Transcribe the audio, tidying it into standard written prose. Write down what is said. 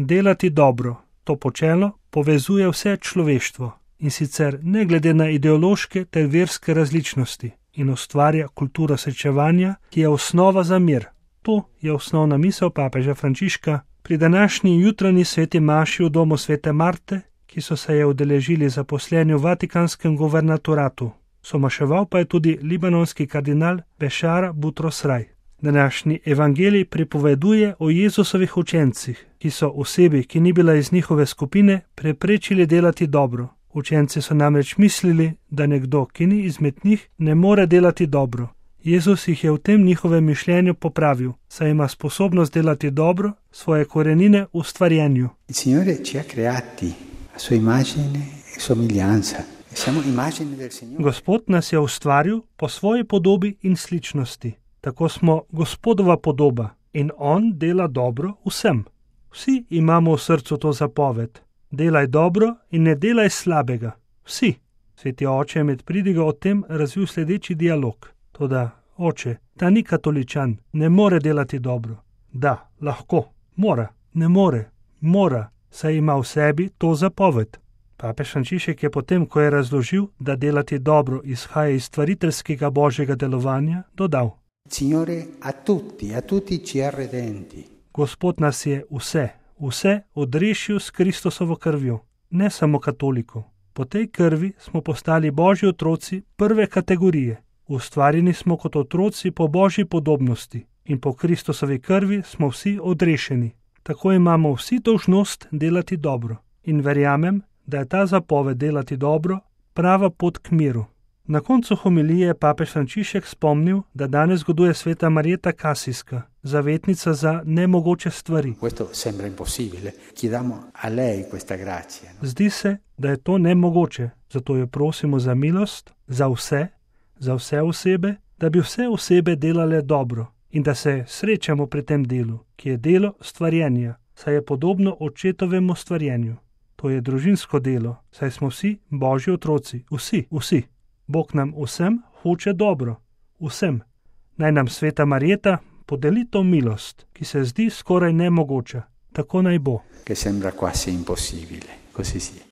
Delati dobro, to počelo povezuje vse človeštvo in sicer ne glede na ideološke ter verske različnosti in ustvarja kulturo srečevanja, ki je osnova za mir. To je osnovna misel papeža Frančiška pri današnji jutranji sveti maši v domu svete Marte, ki so se je udeležili zaposleni v Vatikanskem guvernatoratu. Somaševal pa je tudi libanonski kardinal Bešara Butros Raj. Današnji evangelij pripoveduje o Jezusovih učencih, ki so osebi, ki ni bila iz njihove skupine, preprečili delati dobro. Učenci so namreč mislili, da nekdo, ki ni izmed njih, ne more delati dobro. Jezus jih je v tem njihovem mišljenju popravil, saj ima sposobnost delati dobro, svoje korenine v stvarjenju. Gospod nas je ustvaril po svoji podobi in sličnosti. Tako smo Gospodova podoba in On dela dobro vsem. Vsi imamo v srcu to zapoved. Delaj dobro in ne delaj slabega. Vsi. Sveti oče je med pridigo o tem razvil sledeči dialog. Toda, oče, ta ni katoličan, ne more delati dobro. Da, lahko, mora, ne more, mora, saj ima v sebi to zapoved. Papež Frančišek je potem, ko je razložil, da delati dobro izhaja iz stvariteljskega božjega delovanja, dodal: Signore, a tutti ci ha redenti. Gospod nas je vse odrešil s Kristusovo krvjo, ne samo katolikov. Po tej krvi smo postali božji otroci prve kategorije. Ustvarjeni smo kot otroci po božji podobnosti in po Kristusovi krvi smo vsi odrešeni. Tako imamo vsi dolžnost delati dobro. In verjamem, da je ta zapoved delati dobro prava pot k miru. Na koncu homilije je papež Frančišek spomnil, da danes goduje sveta Marjeta Kasijska, zavetnica za nemogoče stvari. Zdi se, da je to nemogoče, zato jo prosimo za milost, za vse osebe, da bi vse osebe delale dobro in da se srečamo pri tem delu, ki je delo stvarjenja, saj je podobno očetovemu stvarjenju. To je družinsko delo, saj smo vsi božji otroci, vsi. Bog nam vsem hoče dobro, vsem. Naj nam sveta Marjeta podeli to milost, ki se zdi skoraj nemogoča. Tako naj bo. Che sembra quasi impossibile, così sia.